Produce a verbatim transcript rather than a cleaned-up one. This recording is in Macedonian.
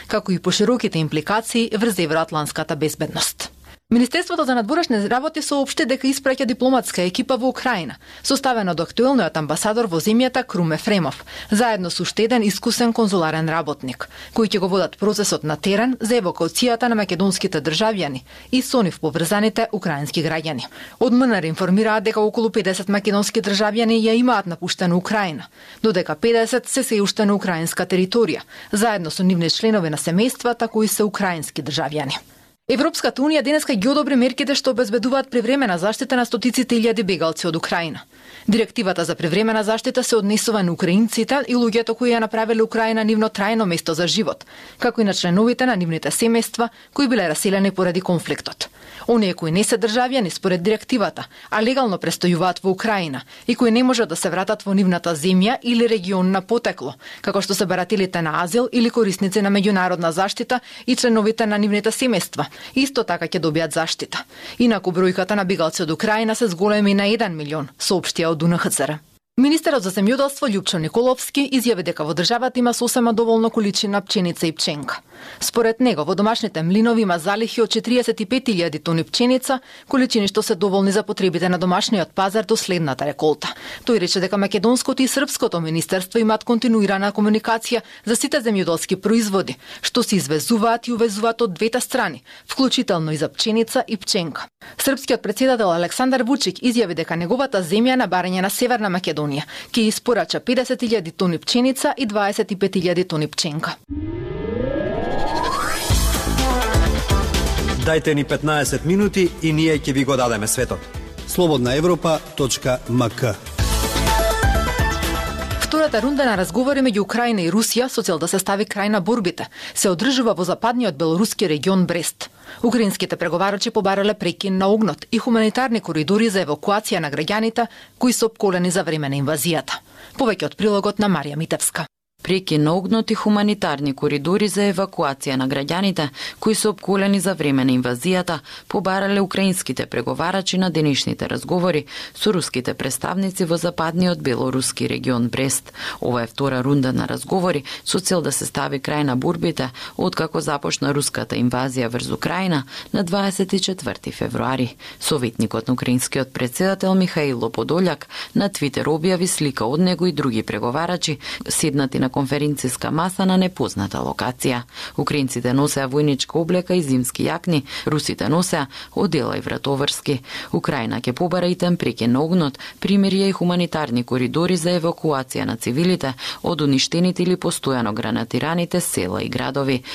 како и пошироките импликации врз евроатланската безбедност. Министерството за надворешни работи соопшти дека испраќа дипломатска екипа во Украина, составена од актуелниот амбасадор во земјата Крум Ефремов, заедно со уште еден искусен конзуларен работник, кои ќе го водат процесот на терен за евакуацијата на македонските државјани и со нив поврзаните украински граѓани. Од МНР информираат дека околу педесет македонски државјани ја имаат напуштена Украина, додека педесет се се уште на украинска територија, заедно со нивни членови на семејствата кои се украински државјани. Европската унија денеска ги одобри мерките што обезбедуваат привремена заштита на стотиците илјади бегалци од Украина. Директивата за привремена заштита се однесува на украинците и луѓето кои ја направиле Украина нивно трајно место за живот, како и на членовите на нивните семејства кои биле раселени поради конфликтот. Оние кои не се државјани според директивата, а легално престојуваат во Украина и кои не можат да се вратат во нивната земја или регион на потекло, како што се барателите на азил или корисници на меѓународна заштита и членовите на нивните семејства, исто така ќе добијат заштита. Инаку бројката на бегалци од Украина се зголеми на еден милион, соопштија од УНХЦР. Министерот за земјоделство Љупчо Николовски изјави дека во државата има сосема доволно количина пченица и пченка. Според него, во домашните млинови има залихи од четириесет и пет илјади тони пченица, количини што се доволни за потребите на домашниот пазар до следната реколта. Тој рече дека македонското и српското министерство имаат континуирана комуникација за сите земјоделски производи, што се извезуваат и увезуваат од двете страни, вклучително и за пченица и пченка. Српскиот претседател Александар Вучик изјави дека неговата земја на барање на Северна Македонија ќе испорача педесет илјади тони пченица и дваесет и пет илјади тони пченка. Дајте ни петнаесет минути и ние ќе ви го дадеме светот. слободна европа точка ем ка. Втората рунда на разговори меѓу Украина и Русија со цел да се стави крај на борбите се одржува во западниот белоруски регион Брест. Украинските преговарачи побарале прекин на огнот и хуманитарни коридори за евакуација на граѓаните кои се опколени за време на инвазијата. Повеќе од прилогот на Марија Митевска. Прекин на огнот и хуманитарни коридори за евакуација на граѓаните кои се опколени за време на инвазијата побарале украинските преговарачи на денешните разговори со руските представници во западниот белоруски регион Брест. Ова е втора рунда на разговори со цел да се стави крај на борбите откако започна руската инвазија врз Украина на дваесет и четврти февруари. Советникот на украинскиот претседател Михаило Подољак на Твитер објави слика од него и други преговарачи седнати на конференциска маса на непозната локација. Украинците носеа војничка облека и зимски јакни, русите носеа одела и вратоврски. Украина ќе побара и тем прекин на огнот, примирија и хуманитарни коридори за евакуација на цивилите од уништените или постојано гранатираните села и градови.